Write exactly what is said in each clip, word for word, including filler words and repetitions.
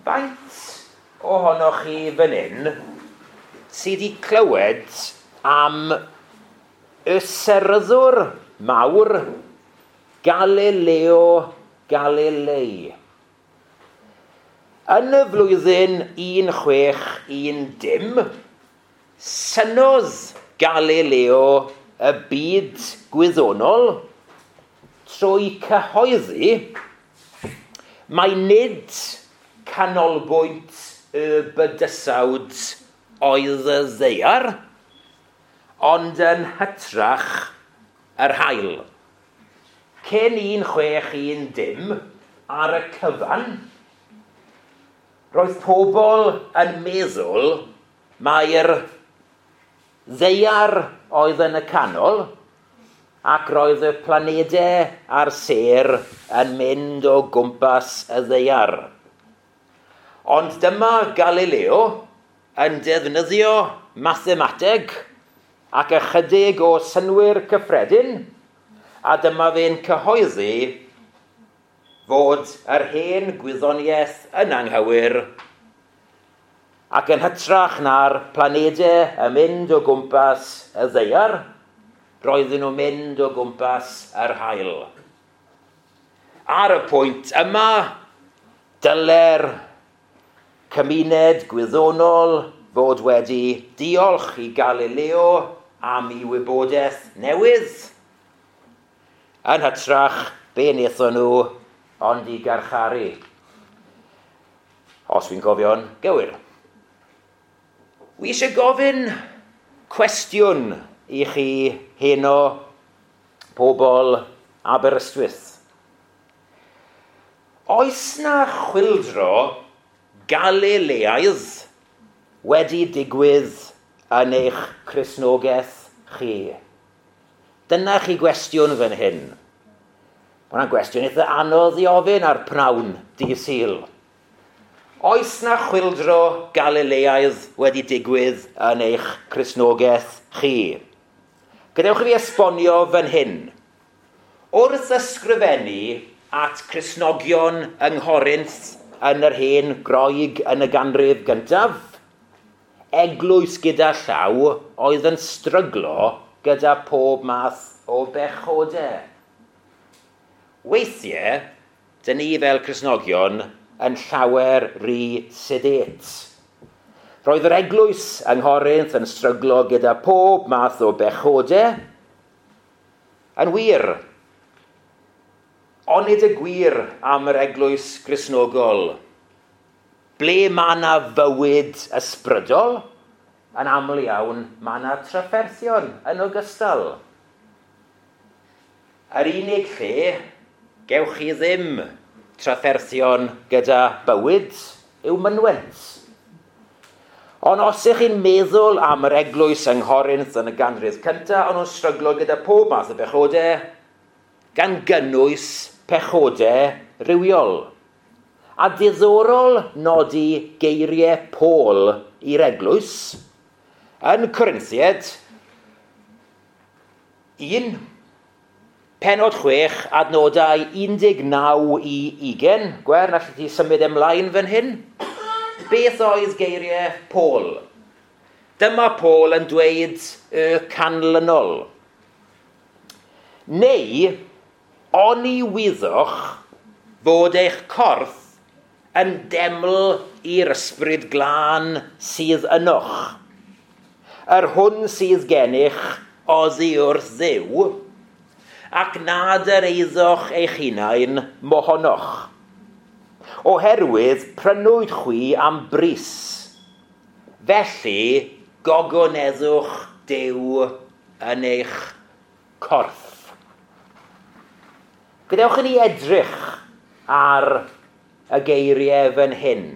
Faint ohonoch chi fan hyn sydd wedi clywed am y seryddwr mawr Galileo Galilei? Yn y flwyddyn un chwech un dim, synodd Galileo y byd gwyddonol trwy cyhoeddi mai nid canolbwynt y bydysawd oedd y ddaear, ond yn hytrach yr haul. Cyn un chwech un dim, ar y cyfan, roedd pobl yn meddwl mai'r ddaear oedd yn y canol ac roedd y planedau a'r sêr yn mynd o gwmpas y ddaear. Ond dyma Galileo yn defnyddio mathemateg ac ychydig o synwyr cyffredin, a dyma fe'n cyhoeddi fod yr hen gwyddoniaeth yn anghywir ac yn hytrach na'r planedau yn mynd o gwmpas y ddaear, roedden nhw'n mynd o gwmpas yr haul. Ar y pwynt yma, dyle'r cymuned gwyddonol fod wedi diolch i Galileo am ei wybodaeth newydd. Yn hytrach, be wnaethon nhw ond i garcharu. Os fi'n cofio'n gywir. Wi eisiau gofyn cwestiwn i chi heno, pobl Aberystwyth. Oes na chwyldro Galileaidd wedi digwydd yn eich Cristnogaeth chi? Dyna chi gwestiwn fan hyn. Mae hwnna'n gwestiwn eitha anodd i ofyn ar pnawn dydd Sul. Oes na chwyldro Galileaidd wedi digwydd yn eich Cristnogaeth chi? Gadewch i fi esbonio fan hyn. Wrth ysgrifennu at Cristnogion yng Nghorinth yn yr hen Groeg yn y ganrif gyntaf, eglwys gyda llaw oedd yn stryglo gyda pob math o bechodau. Weithiau, dyn ni fel Cristnogion yn llawer rhy sedate. Roedd yr eglwys yng Nghorinth yn stryglo gyda pob math o bechodau. Yn wir, onid y gwir am yr eglwys Gristnogol? Ble mae yna fywyd ysbrydol? Yn aml iawn, mae yna trafferthion yn ogystal. Yr unig lle gewch chi ddim trafferthion gyda bywyd yw mynwent. Ond os ych chi'n meddwl am yr eglwys yng Nghorinth yn y ganrif cyntaf, o'n nhw'n stryglo gyda pob math o bechodau, gan gynnwys pechodau rhywiol. A diddorol nodi geiriau Paul i'r eglwys yn Corinthiaid un, pennod chwech, adnodau un deg naw i ugain. Gwern, allet ti symud ymlaen fan hyn? Beth oedd geiriau Paul? Dyma Paul yn dweud y canlynol. Neu, oni wyddoch fod eich corff yn deml i'r ysbryd glân sydd ynoch, yr hwn sydd gennych oddi wrth Dduw, ac nad yr eiddoch eich hunain mohonoch. Oherwydd prynwyd chwi am bris, felly gogoneddwch Duw yn eich corff. Gadewch i ni edrych ar y geiriau fan hyn.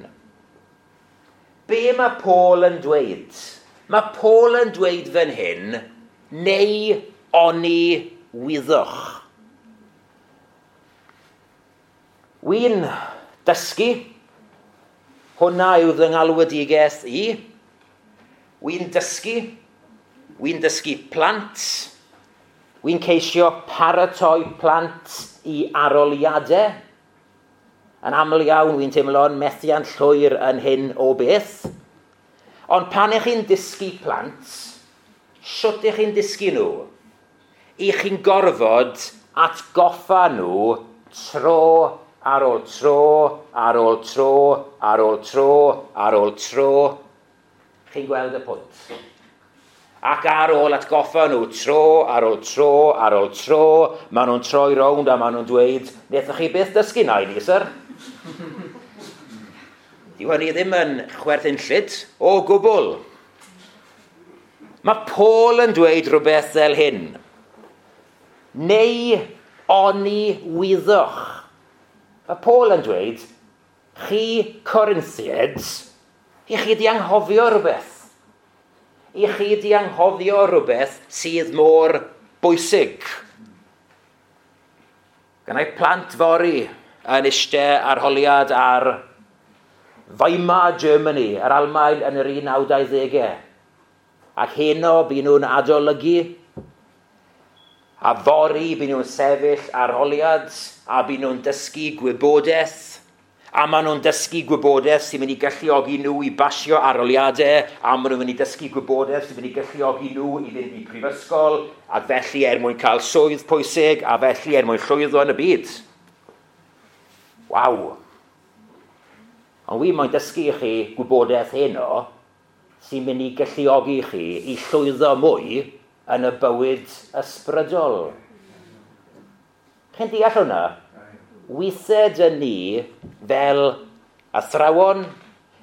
Be mae Paul yn dweud? Mae Paul yn dweud fan hyn, neu oni wyddoch. Wy'n dysgu, hwnna yw fy ngalwedigaeth i. Wy'n dysgu, wy'n dysgu plant, wy'n ceisio paratoi plant i aroliadau. Yn aml iawn, wy'n teimlo'n methiant llwyr yn hyn o beth. Ond pan ych chi'n dysgu plant, shwt ych chi'n dysgu nhw? I chi'n gorfod atgoffa nhw tro ar ôl tro, ar ôl tro, ar ôl tro, ar ôl tro. Chi'n gweld y pwynt. Ac ar ôl atgoffa nhw tro, ar ôl tro, ar ôl tro, maen nhw'n troi rownd a maen nhw'n dweud, wnaethoch chi byth dysgu na i ni, syr? Dyw hynny ddim yn chwerthinllyd o gwbl. Mae Paul yn dweud rhywbeth fel hyn. Neu oni wyddoch. Mae Paul yn dweud, chi Corinthiaid, i chi di anghofio rhywbeth. I chi di anghofio rhywbeth sydd mor bwysig. Gynna i plant fory yn eistedd arholiad ar Weimar Germany, yr Almaen yn yr un naw dauddegau. Ac heno bu nhw'n adolygu, a fory bu nhw'n sefyll arholiad, a bu nhw'n dysgu gwybodaeth, a maen nhw'n dysgu gwybodaeth sy'n mynd i galluogi nhw i basio arholiadau, a maen nhw'n mynd i dysgu gwybodaeth sy'n mynd i galluogi nhw i fynd i prifysgol, ac felly er mwyn cael swydd pwysig, a felly er mwyn llwyddo yn y byd. Waw! Ond wi moyn dysgu i chi gwybodaeth heno sy'n mynd i galluogi chi i llwyddo mwy yn y bywyd ysbrydol. Chi'n deall hwnna? Weithiau dyn ni fel athrawon,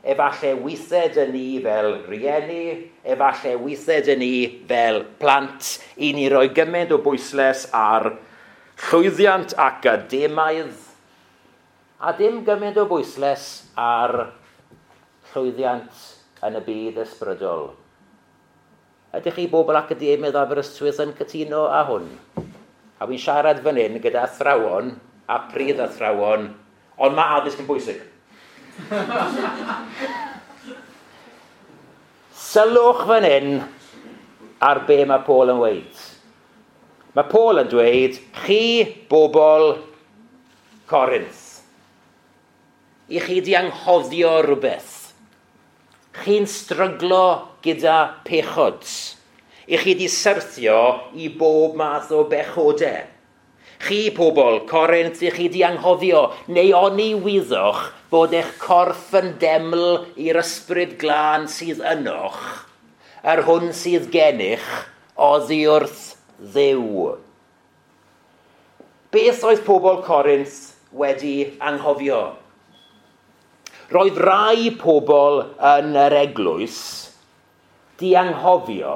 efallai weithiau dyn ni fel rieni, efallai weithiau dyn ni fel plant, i ni roi gymaint o bwyslais ar llwyddiant academaidd, a dim gymaint o bwyslais ar llwyddiant yn y byd ysbrydol. Ydych chi bobl academydd Aberystwyth yn cytuno â hwn? A wy'n siarad fan hyn gyda athrawon a prif athrawon, ond mae addysg yn bwysig. Sylwch fan hyn ar be mae Paul yn dweud. Mae Paul yn dweud, chi bobl Corinth, i chi di anghofio rhywbeth. Chi'n stryglo gyda pechod. I chi di syrthio i bob math o bechodau. Chi, pobl Corinth, i chi di anghofio, neu oni wyddoch bod eich corff yn deml i'r ysbryd glân sydd ynoch, yr hwn sydd gennych oddi wrth Dduw. Beth oedd pobl Corinth wedi anghofio? Roedd rai pobl yn yr eglwys di anghofio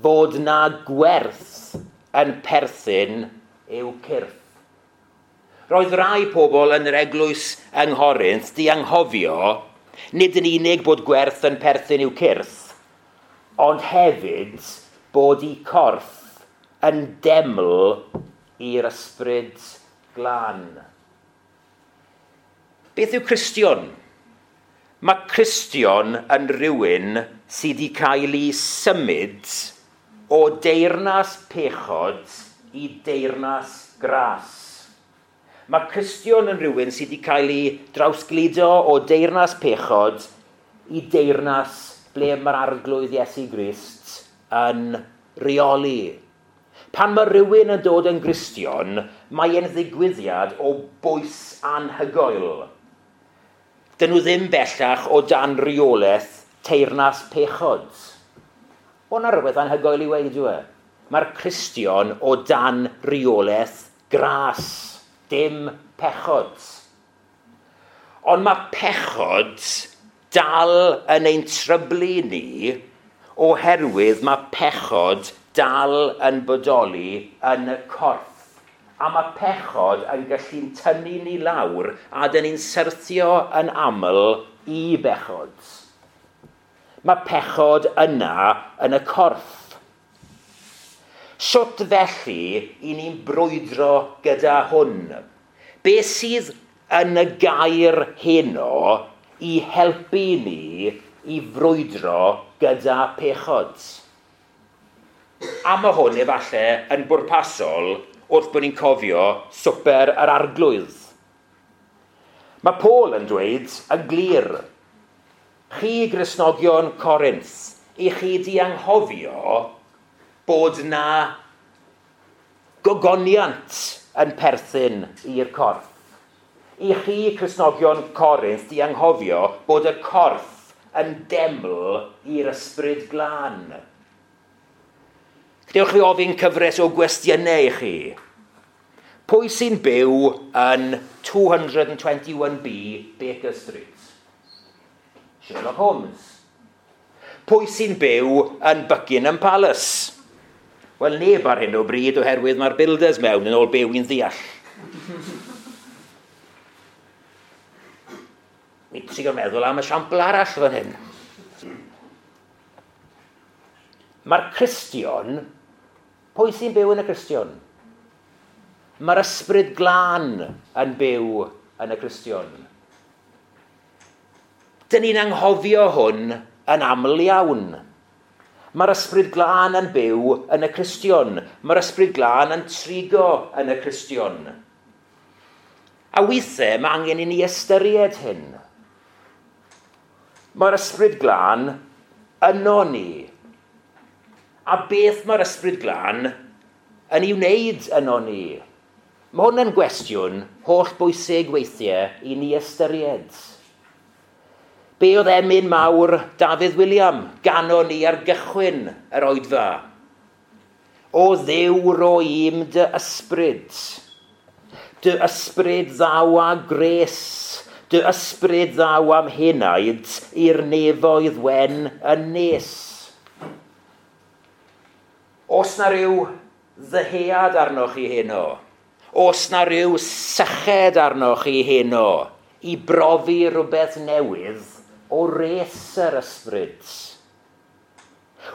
fod na gwerth yn perthyn i'w cyrff. Roedd rai pobl yn yr eglwys yng Nghorinth di anghofio nid yn unig bod gwerth yn perthyn i'w cyrff, ond hefyd bod eu corff yn deml i'r ysbryd glân. Beth yw Cristion? Mae Cristion yn rhywun sydd wedi cael ei symud o deyrnas pechod i deyrnas gras. Mae Cristion yn rhywun sydd wedi cael ei drawsgludo o deyrnas pechod i deyrnas ble mae'r Arglwydd Iesu Grist yn rheoli. Pan mae rhywun yn dod yn Gristion, mae e'n ddigwyddiad o bwys anhygoel. Dyn nhw ddim bellach o dan reolaeth teyrnas pechod. O na rhywbeth anhygoel i weud yw e. Mae'r Cristion o dan reolaeth gras, dim pechod. Ond mae pechod dal yn ein tryblu ni oherwydd mae pechod dal yn bodoli yn y corff. A mae pechod yn gallu tynnu ni lawr a dyn ni'n syrthio yn aml i bechod. Mae pechod yna yn y corff. Sut felly i ni'n brwydro gyda hwn? Be sydd yn y gair heno i helpu ni i frwydro gyda pechod? A mae hwn efallai yn bwrpasol wrth bod ni'n cofio swper yr Arglwydd. Mae Paul yn dweud yn glir, chi Gristnogion Corinth, i chi di anghofio bod na gogoniant yn perthyn i'r corff. I chi Cristnogion Corinth di anghofio bod y corff yn deml i'r Ysbryd Glân. Dewch chi ofyn cyfres o gwestiynau i chi. Pwy sy'n byw yn two hundred twenty-one B Baker Street? Sherlock Holmes. Pwy sy'n byw yn Buckingham Palace? Wel, neb ar hyn o bryd oherwydd mae'r builders mewn yn ôl byw i'n ddeall. Mi trio meddwl am esiampl arall fan hyn. Mae'r Cristion, pwy sy'n byw yn y Cristion? Mae'r Ysbryd Glân yn byw yn y Cristion. Dyn ni'n anghofio hwn yn aml iawn. Mae'r Ysbryd Glân yn byw yn y Cristion. Mae'r Ysbryd Glân yn trigo yn y Cristion. A weithiau mae angen i ni ystyried hyn. Mae'r Ysbryd Glân yno ni. A beth mae'r Ysbryd Glân yn ei wneud yno ni? Mae hwn yn gwestiwn holl bwysig weithiau i ni ystyried. Be oedd emyn mawr Dafydd William ganon ni ar gychwyn yr oedfa? O Dduw ro i'm dy ysbryd. Dy ysbryd ddaw â gres. Dy ysbryd ddaw am henaid i'r nefoedd wen yn nes. Os na ryw ddyhead arnoch chi heno, os na ryw syched arnoch chi heno, i brofi rhywbeth newydd o res yr ysbryd.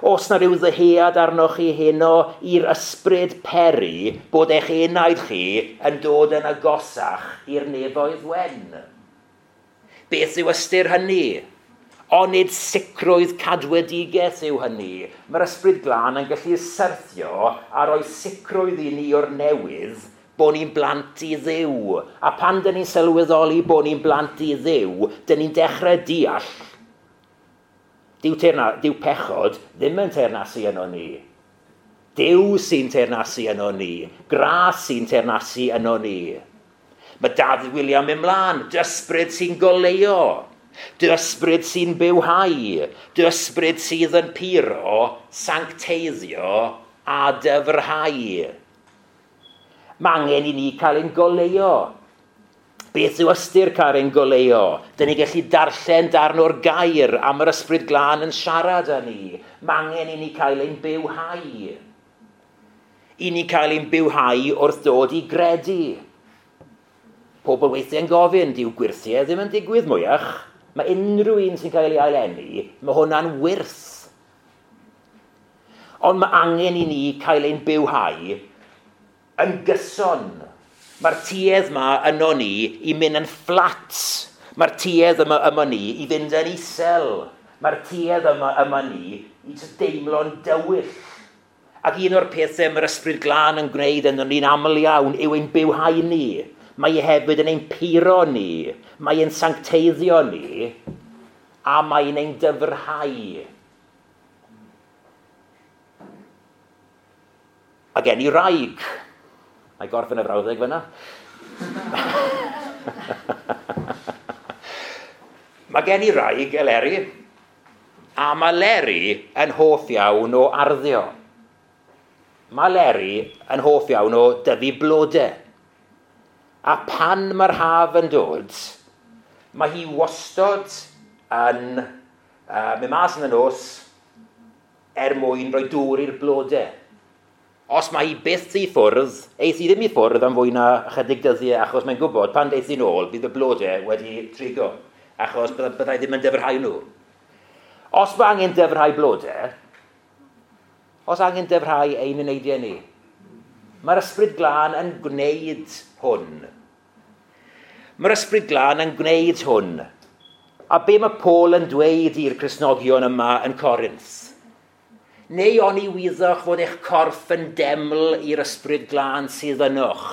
Os na ryw ddyhead arnoch chi heno i'r ysbryd peri bod eich enaid chi yn dod yn agosach i'r nefoedd wen. Beth yw ystyr hynny? Onid sicrwydd cadwedigaeth yw hynny. Mae'r Ysbryd Glân yn gallu syrthio a rhoi sicrwydd i ni o'r newydd bod ni'n blant i Dduw. A pan dyn ni'n sylweddoli bod ni'n blant i Dduw, dyn ni'n dechrau deall. Dyw, teyrna, dyw pechod ddim yn teyrnasu yno ni. Duw sy'n teyrnasu yno ni. Gras sy'n teyrnasu yno ni. Mae Dafydd William ymlaen, dy ysbryd sy'n goleuo, dy ysbryd sy'n bywhau, dy ysbryd sydd yn puro, sancteiddio a dyfrhau. Mae angen i ni cael ein goleuo. Beth yw ystyr cael ein goleuo? Dyn ni gallu darllen darn o'r gair am yr Ysbryd Glân yn siarad â ni. Mae angen i ni cael ein bywhau. I ni cael ein bywhau wrth dod i gredu. Pobl weithiau yn gofyn, dyw gwirthiau ddim yn digwydd mwyach. Mae unrhyw un sy'n cael ei aileni, mae hwnna'n wyrth. Ond mae angen i ni cael ein bywhau yn gyson. Mae'r tuedd yma yno ni i mynd yn fflat. Mae'r tuedd yma yma ni i fynd yn isel. Mae'r tuedd yma yma ni i deimlo'n dywyll. Ac un o'r pethau mae'r Ysbryd Glân yn gwneud yno ni'n aml iawn yw ein bywhau ni. Mae e hefyd yn ein puro ni. Mae e'n sancteiddio ni. A mae'n ein dyfrhau. A gen i raig. Mae gorffen y frawddeg fyna. Mae gen i raig, Eleri, a mae Leri yn hoff iawn o arddio. Mae Leri yn hoff iawn o dyfu blodau. A pan mae'r haf yn dod, mae hi wastod yn uh, mynd mas yn y nos er mwyn rhoi dŵr i'r blodau. Os mae hi byth i ffwrdd, eith hi ddim i ffwrdd am fwy na ychydig dyddiau, achos mae'n gwybod pan deith hi'n ôl, bydd y blodau wedi trigo, achos byddai ddim yn dyfrhau nhw. Os mae angen dyfrhau blodau, os angen dyfrhau ein eneidiau ni, mae'r Ysbryd Glân yn gwneud hwn. Mae'r Ysbryd Glân yn gwneud hwn. A be mae Paul yn dweud i'r Cristnogion yma yn Corinth? Neu oni wyddoch fod eich corff yn deml i'r Ysbryd Glân sydd ynoch,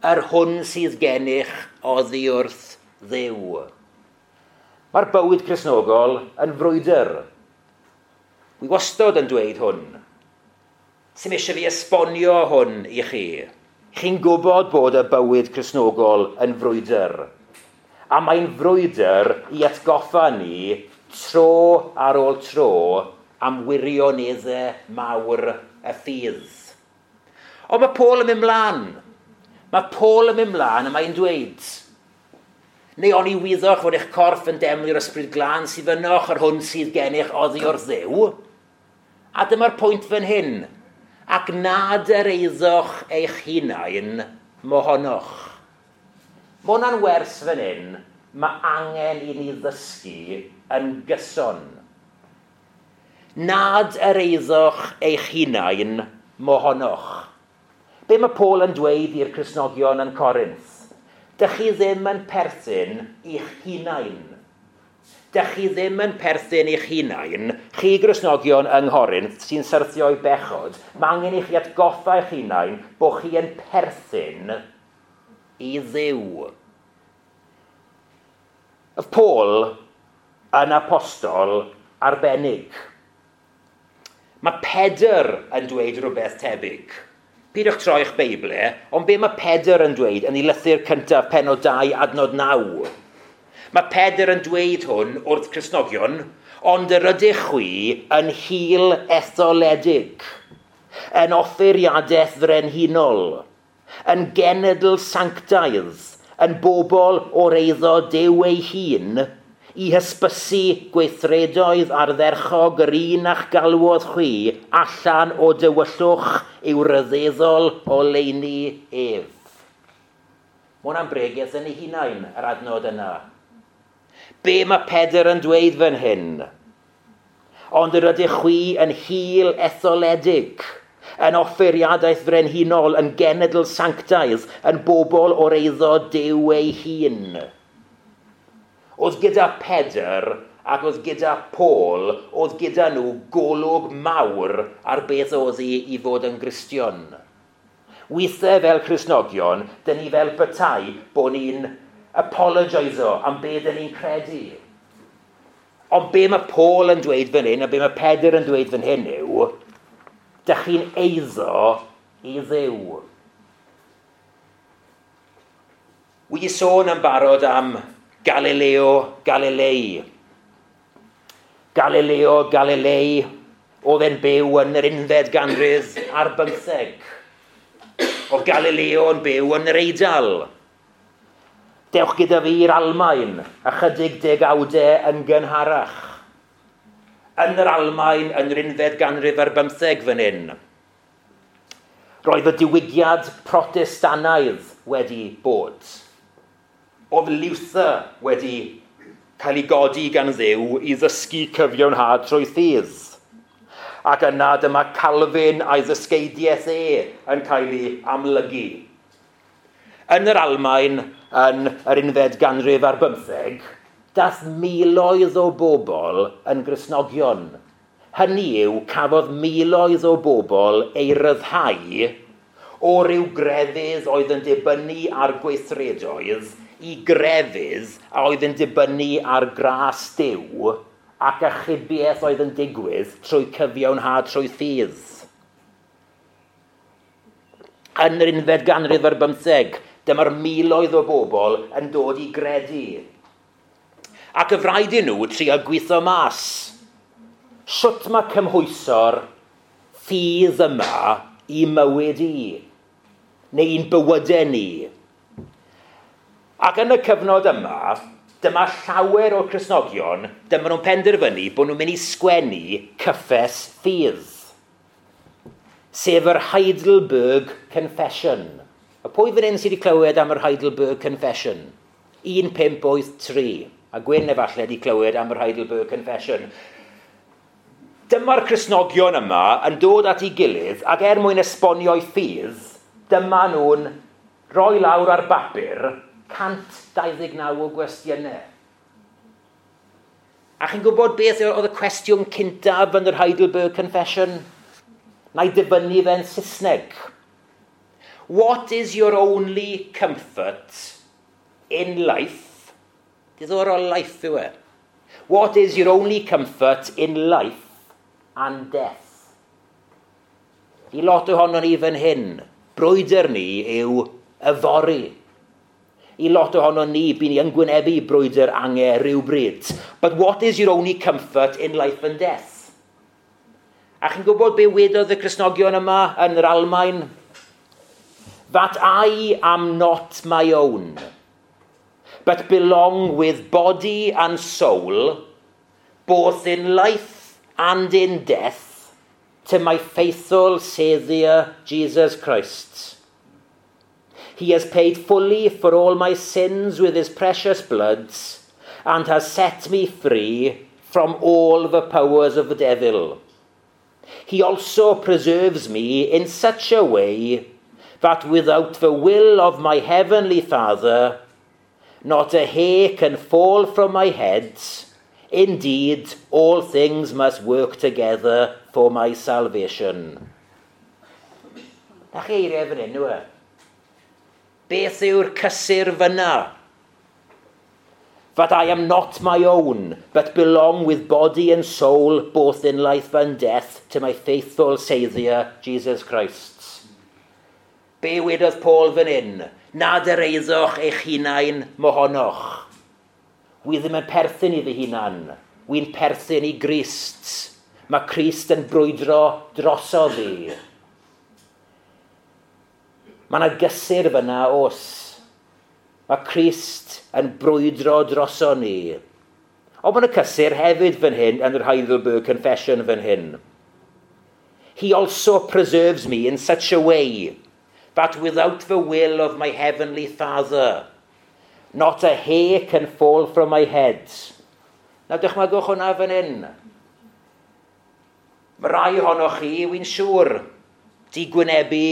yr hwn sydd gennych oddi wrth Dduw. Mae'r bywyd Cristnogol yn frwydr. Wi wastod yn dweud hwn. Sim eisiau fi esbonio hwn i chi. Chi'n gwybod bod y bywyd Cristnogol yn frwydr. A mae'n frwydr i atgoffa ni tro ar ôl tro am wirioneddau mawr y ffydd. Ond mae Paul yn mynd mlaen. Mae Paul yn mynd mlaen a mae'n dweud, neu oni wyddoch fod eich corff yn deml i'r Ysbryd Glân sydd ynoch, yr hwn sydd gennych oddi wrth Dduw. A dyma'r pwynt fan hyn. Ac nad yr eiddoch eich hunain mohonoch. Mae hwnna'n wers fan hyn, mae angen i ni ddysgu yn gyson. Nad yr eiddoch eich hunain mohonoch. Be mae Paul yn dweud i'r Cristnogion yn Corinth? Dych chi ddim yn perthyn i'ch hunain. Dych chi ddim yn perthyn i'ch hunain. Chi Gristnogion yng Nghorinth sy'n syrthio i bechod, mae angen i chi atgoffa eich hunain bod chi yn perthyn i Dduw. Oedd Paul yn apostol arbennig. Mae Pedr yn dweud rhywbeth tebyg. Pidwch troi eich Beibl, ond be mae Pedr yn dweud yn ei lythyr cyntaf pennod dau adnod naw? Mae Pedr yn dweud hwn wrth Cristnogion, ond yr ydych chwi yn hil etholedig, yn offeiriadaeth frenhinol, yn genedl sanctaidd, yn bobl o'r eiddo Duw ei hun, i hysbysu gweithredoedd ardderchog yr un a'ch galwodd chwi allan o dywyllwch i'w ryfeddol oleuni ef. Mae hwnna'n bregeth yn ei hunain, yr adnod yna. Be mae Pedr yn dweud fan hyn? Ond yr ydych chwi yn hil etholedig, yn offeiriadaeth frenhinol, yn genedl sanctaidd, yn bobl o'r eiddo Duw ei hun. Oedd gyda Pedr ac oedd gyda Paul, oedd gyda nhw golwg mawr ar beth oedd hi i fod yn Gristion. Weithiau fel Cristnogion, dyn ni fel petai bod ni'n apologiso am be dyn ni'n credu. Ond be mae Paul yn dweud fan hyn a be mae Pedr yn dweud fan hyn yw, dych chi'n eiddo i Dduw. Wi 'di sôn yn barod am Galileo Galilei. Galileo Galilei oedd e'n byw yn yr unfed ganrif ar bymtheg. Oedd Galileo yn byw yn yr Eidal. Dewch gyda fi i'r Almaen, ychydig degawdau yn gynharach. Yn yr Almaen, yn yr unfed ganrif ar bymtheg fan hyn. Roedd y diwygiad Protestanaidd wedi bod. Oedd Luther wedi cael ei godi gan Dduw i ddysgu cyfiawnhad trwy ffydd. Ac yna dyma Calvin a'i ddysgeidiaeth e yn cael ei amlygu. Yn yr Almaen, yn yr unfed ganrif ar bymtheg, dath miloedd o bobl yn Gristnogion. Hynny yw, cafodd miloedd o bobl ei ryddhau o ryw grefydd oedd yn dibynnu ar gweithredoedd i grefydd a oedd yn dibynnu ar gras Duw ac achubiaeth oedd yn digwydd trwy cyfiawnhad trwy ffydd. Yn yr unfed ganrif ar bymtheg, dyma'r miloedd o bobl yn dod i gredu. Ac y rhaid i nhw trio gweithio mas. Sut mae cymhwyso'r ffydd yma i mywyd i, neu i'n bywydau ni? Ac yn y cyfnod yma, dyma llawer o'r Cristnogion, dyma nhw'n penderfynu bod nhw'n mynd i sgwennu cyffes ffydd, sef yr Heidelberg Confession. A pwy fan hyn sydd wedi clywed am yr Heidelberg Confession? un pump wyth tri. A Gwyn efallai wedi clywed am yr Heidelberg Confession. Dyma'r Cristnogion yma yn dod at ei gilydd ac er mwyn esbonio'i ffydd, dyma nhw'n rhoi lawr ar bapur cant dau ddeg naw o gwestiynau. A chi'n gwybod beth oedd y cwestiwn cyntaf yn yr Heidelberg Confession? Na i dyfynnu fe'n Saesneg. What is your only comfort in life Diddorol life yw e. What is your only comfort in life and death? I lot ohonon ni fan hyn, brwydr ni yw yfory. I lot ohonon ni, by ni yn gwynebu brwydr angau rhywbryd. But what is your only comfort in life and death? A chi'n gwybod be wedodd y Cristnogion yma yn yr Almaen? That I am not my own, but belong with body and soul, both in life and in death, to my faithful Saviour, Jesus Christ. He has paid fully for all my sins with his precious blood and has set me free from all the powers of the devil. He also preserves me in such a way that without the will of my heavenly Father, not a hair can fall from my head. Indeed, all things must work together for my salvation. Na chi eiriau fan hyn, yw e? Beth yw'r cysur fyna? That I am not my own, but belong with body and soul, both in life and death, to my faithful Saviour, Jesus Christ. Be wedodd Paul fan hyn? Nad yr eiddoch eich hunain mohonoch. Wi ddim yn perthyn i fy hunan. Wi'n perthyn i Grist. Mae Crist yn brwydro drosodd fi. Mae yna gysur fyna os. Mae Crist yn brwydro droso ni. Ond mae yna cysur hefyd fan hyn yn yr Heidelberg Confession fan hyn. He also preserves me in such a way that without the will of my heavenly Father, not a hair can fall from my head. Na dychmygwch hwnna fan hyn. Mae rai ohonoch chi, wy'n siŵr, di gwynebu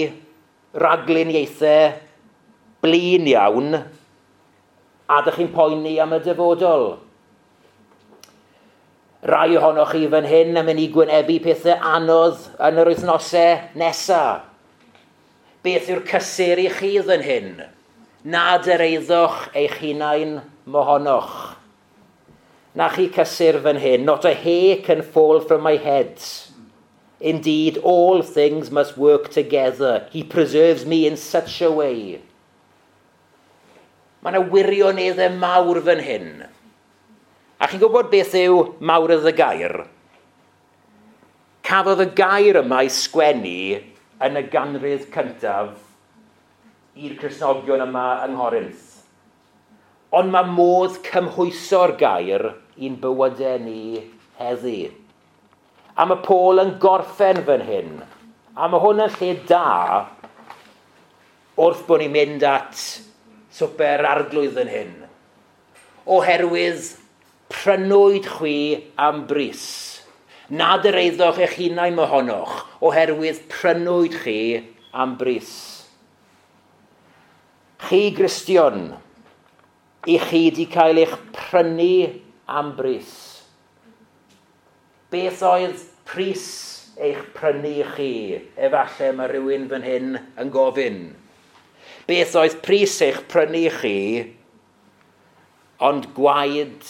ragluniaethau blin iawn, a dych chi'n poeni am y dyfodol. Rai ohonoch chi fan hyn yn mynd i gwynebu pethau anodd yn yr wythnosau nesaf. Beth yw'r cysur i chi fan hyn? Nad yr eiddoch eich hunain mohonoch. Na chi cysur fan hyn. Not a hair can fall from my head. Indeed, all things must work together. He preserves me in such a way. Mae yna wirioneddau mawr fan hyn. A chi'n gwybod beth yw mawredd y gair? Cafodd y gair yma ei sgwennu yn y ganrif cyntaf i'r Cristnogion yma yng Nghorinth. Ond mae modd cymhwyso'r gair i'n bywydau ni heddi. A mae Paul yn gorffen fan hyn. A mae hwn yn lle da wrth bod ni'n mynd at swper Arglwydd yn hyn. Oherwydd prynwyd chwi am bris. Nad yr eiddoch eich hunain mohonoch, oherwydd prynwyd chi am bris. Chi Gristion, i chi di cael eich prynu am bris. Beth oedd pris eich prynu chi? Efallai mae rhywun fan hyn yn gofyn. Beth oedd pris eich prynu chi? Ond gwaed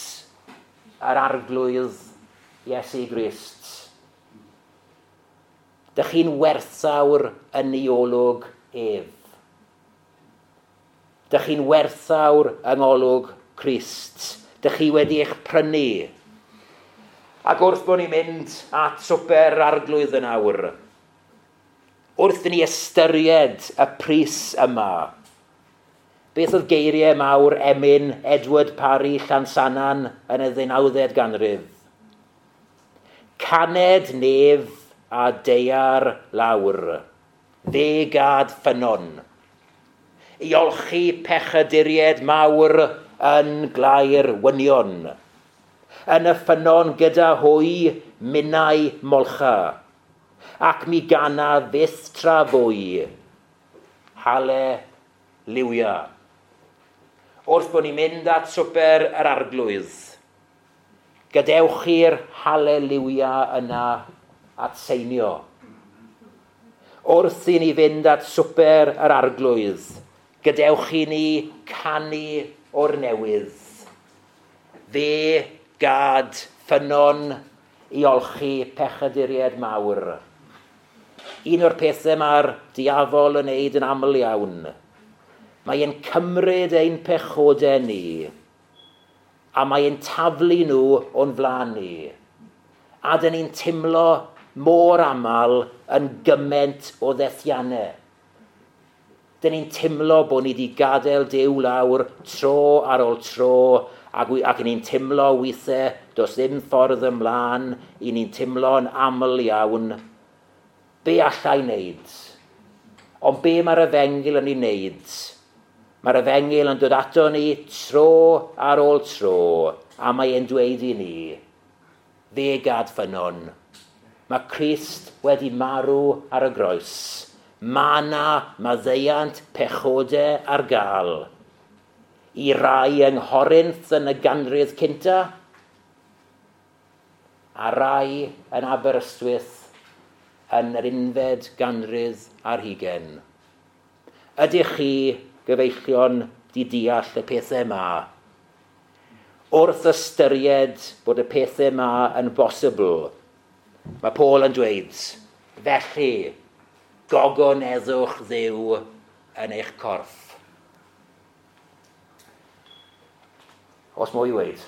yr Arglwydd Iesu Grist. Dych chi'n werthawr yn ei olwg ef. Dych chi'n werthawr yng ngolwg Crist. Dych chi wedi eich prynu. Ac wrth bod ni'n mynd at swper Arglwydd yn awr, wrth ni ystyried y pris yma, beth oedd geiriau mawr emyn Edward Parry Llansannan yn y ddeunawfed ganrif? Caned nef a daear lawr, fe gad ffynnon, i olchi pechaduriaid mawr yn glaer wynion. Yn y ffynnon gyda hwy minnau molcha, ac mi gana fyth tra fwy. Haleluia. Wrth bod ni'n mynd at swper yr Arglwydd, gadewch i'r haleluia yna atseinio. Wrth i ni fynd at swper yr Arglwydd, gadewch i ni canu o'r newydd. Fe gad ffynnon i olchi pechaduriaid mawr. Un o'r pethau mae'r diafol yn neud yn aml iawn. Mae e'n cymryd ein pechodau ni a mae e'n taflu nhw o'n flaen ni. A dyn ni'n teimlo mor aml yn gymaint o ddethiannau. Dyn ni'n teimlo bod ni wedi gadael Duw lawr tro ar ôl tro ac, ac ni'n teimlo weithiau does ddim ffordd ymlaen, i ni'n teimlo'n aml iawn. Be allai wneud? Ond be mae'r efengyl yn ei wneud? Mae'r efengyl yn dod ato ni tro ar ôl tro, a mae e'n dweud i ni, fe gad ffynnon. Mae Crist wedi marw ar y groes. Mae yna maddeuant pechodau ar gael. I rai yng Nghorinth yn y ganrif cynta, a rai yn Aberystwyth yn yr unfed ganrif ar hugain. Ydych chi, gyfeillion, di deall y pethau yma? Wrth ystyried bod y pethau yma yn bosibl, mae Paul yn dweud, felly, gogoneddwch Dduw yn eich corff. Os mwy i weud?